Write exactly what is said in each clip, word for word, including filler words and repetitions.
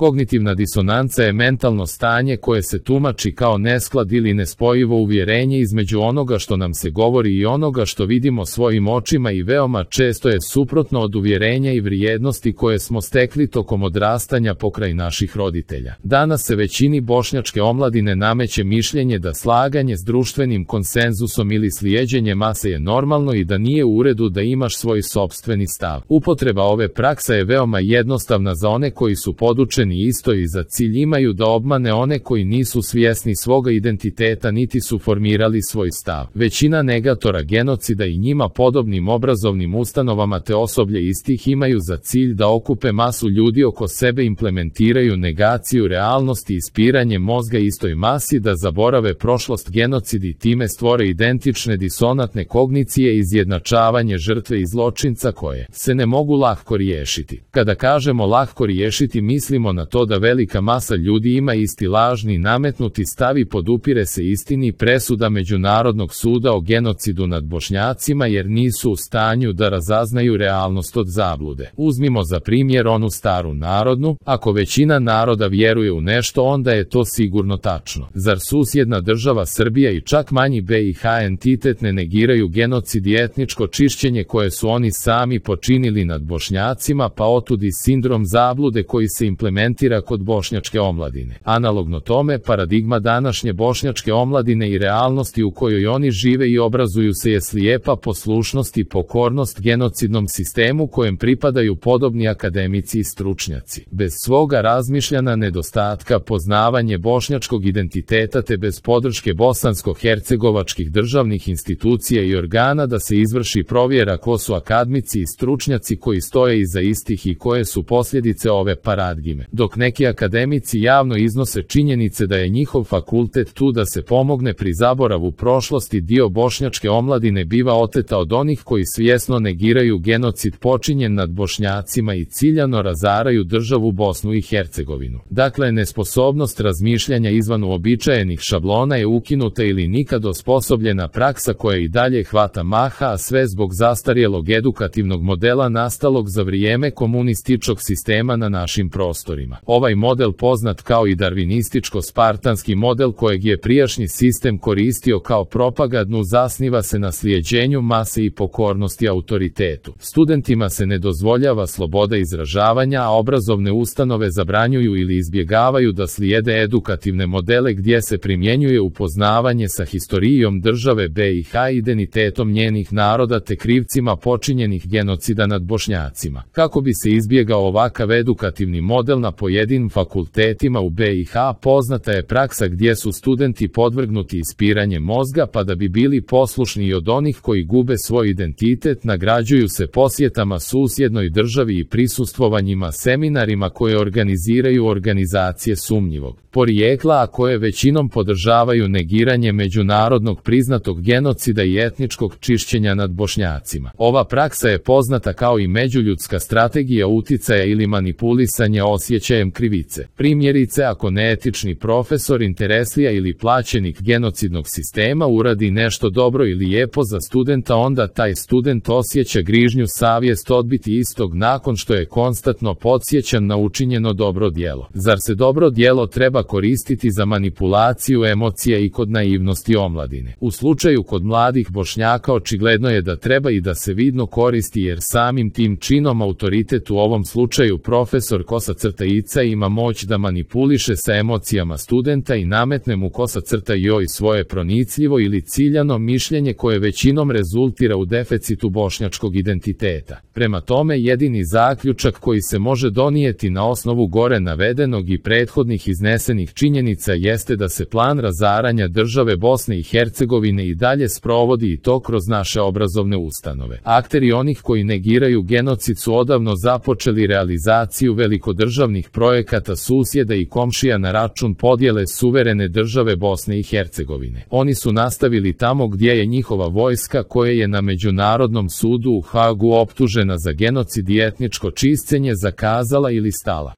Kognitivna disonanca je mentalno stanje koje se tumači kao nesklad ili nespojivo uvjerenje između onoga što nam se govori i onoga što vidimo svojim očima i veoma često je suprotno od uvjerenja i vrijednosti koje smo stekli tokom odrastanja pokraj naših roditelja. Danas se većini bošnjačke omladine nameće mišljenje da slaganje s društvenim konsenzusom ili slijeđenje mase je normalno i da nije u redu da imaš svoj sopstveni stav. Upotreba ove prakse je veoma jednostavna za one koji su podučeni isto i za cilj imaju da obmane one koji nisu svjesni svoga identiteta niti su formirali svoj stav. Većina negatora genocida i njima podobnim obrazovnim ustanovama te osoblje istih imaju za cilj da okupe masu ljudi oko sebe, implementiraju negaciju realnosti i ispiranje mozga istoj masi, da zaborave prošlost genocid i time stvore identične disonantne kognicije i izjednačavanje žrtve i zločinca koje se ne mogu lako riješiti. Kada kažemo lako riješiti, mislimo na to da velika masa ljudi ima isti lažni nametnuti stav i podupire se istini presuda Međunarodnog suda o genocidu nad Bošnjacima jer nisu u stanju da razaznaju realnost od zablude. Uzmimo za primjer onu staru narodnu: ako većina naroda vjeruje u nešto, onda je to sigurno tačno. Zar susjedna država Srbija i čak manji B i H entitet ne negiraju genocid i etničko čišćenje koje su oni sami počinili nad Bošnjacima, pa otud i sindrom zablude koji se implementira kod bošnjačke omladine. Analogno tome, paradigma današnje bošnjačke omladine i realnosti u kojoj oni žive i obrazuju se je slijepa poslušnost i pokornost genocidnom sistemu kojem pripadaju podobni akademici i stručnjaci. Bez svoga razmišljana nedostatka poznavanje bošnjačkog identiteta te bez podrške bosansko-hercegovačkih državnih institucija i organa da se izvrši provjera ko su akademici i stručnjaci koji stoje iza istih i koje su posljedice ove paradigme. Dok neki akademici javno iznose činjenice da je njihov fakultet tu da se pomogne pri zaboravu prošlosti, dio bošnjačke omladine biva oteta od onih koji svjesno negiraju genocid počinjen nad Bošnjacima i ciljano razaraju državu Bosnu i Hercegovinu. Dakle, nesposobnost razmišljanja izvan uobičajenih šablona je ukinuta ili nikad osposobljena praksa koja i dalje hvata maha, a sve zbog zastarjelog edukativnog modela nastalog za vrijeme komunističkog sistema na našim prostorima. Ovaj model, poznat kao i darvinističko-spartanski model kojeg je prijašnji sistem koristio kao propagandnu, zasniva se na slijeđenju mase i pokornosti autoritetu. Studentima se ne dozvoljava sloboda izražavanja, a obrazovne ustanove zabranjuju ili izbjegavaju da slijede edukativne modele gdje se primjenjuje upoznavanje sa historijom države B i H, identitetom njenih naroda te krivcima počinjenih genocida nad Bošnjacima. Kako bi se izbjegao ovakav edukativni model na pojedinim fakultetima u B i H, poznata je praksa gdje su studenti podvrgnuti ispiranjem mozga, pa da bi bili poslušni od onih koji gube svoj identitet, nagrađuju se posjetama susjednoj državi i prisustvovanjima seminarima koje organiziraju organizacije sumnjivog porijekla, a koje većinom podržavaju negiranje međunarodnog priznatog genocida i etničkog čišćenja nad Bošnjacima. Ova praksa je poznata kao i međuljudska strategija uticaja ili manipulisanja osjećajem krivice. Primjerice, ako neetični profesor, intereslija ili plaćenik genocidnog sistema uradi nešto dobro ili lijepo za studenta, onda taj student osjeća grižnju savjest odbiti istog nakon što je konstantno podsjećan na učinjeno dobro djelo. Zar se dobro djelo treba koristiti za manipulaciju emocija i kod naivnosti omladine? U slučaju kod mladih Bošnjaka očigledno je da treba i da se vidno koristi, jer samim tim činom autoritet, u ovom slučaju profesor kosa crta Ica, ima moć da manipuliše sa emocijama studenta i nametne mu kosa crta joj svoje pronicljivo ili ciljano mišljenje koje većinom rezultira u deficitu bošnjačkog identiteta. Prema tome, jedini zaključak koji se može donijeti na osnovu gore navedenog i prethodnih iznesenih činjenica jeste da se plan razaranja države Bosne i Hercegovine i dalje sprovodi, i to kroz naše obrazovne ustanove. Akteri onih koji negiraju genocid su odavno započeli realizaciju velikodržavnih projekata susjeda i komšija na račun podjele suverene države Bosne i Hercegovine. Oni su nastavili tamo gdje je njihova vojska, koja je na Međunarodnom sudu u Hagu optužena za genocid i etničko čišćenje, zakazala ili stala.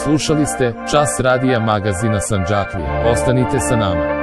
Slušali ste Čas radija magazina Sandžaklija. Ostanite sa nama.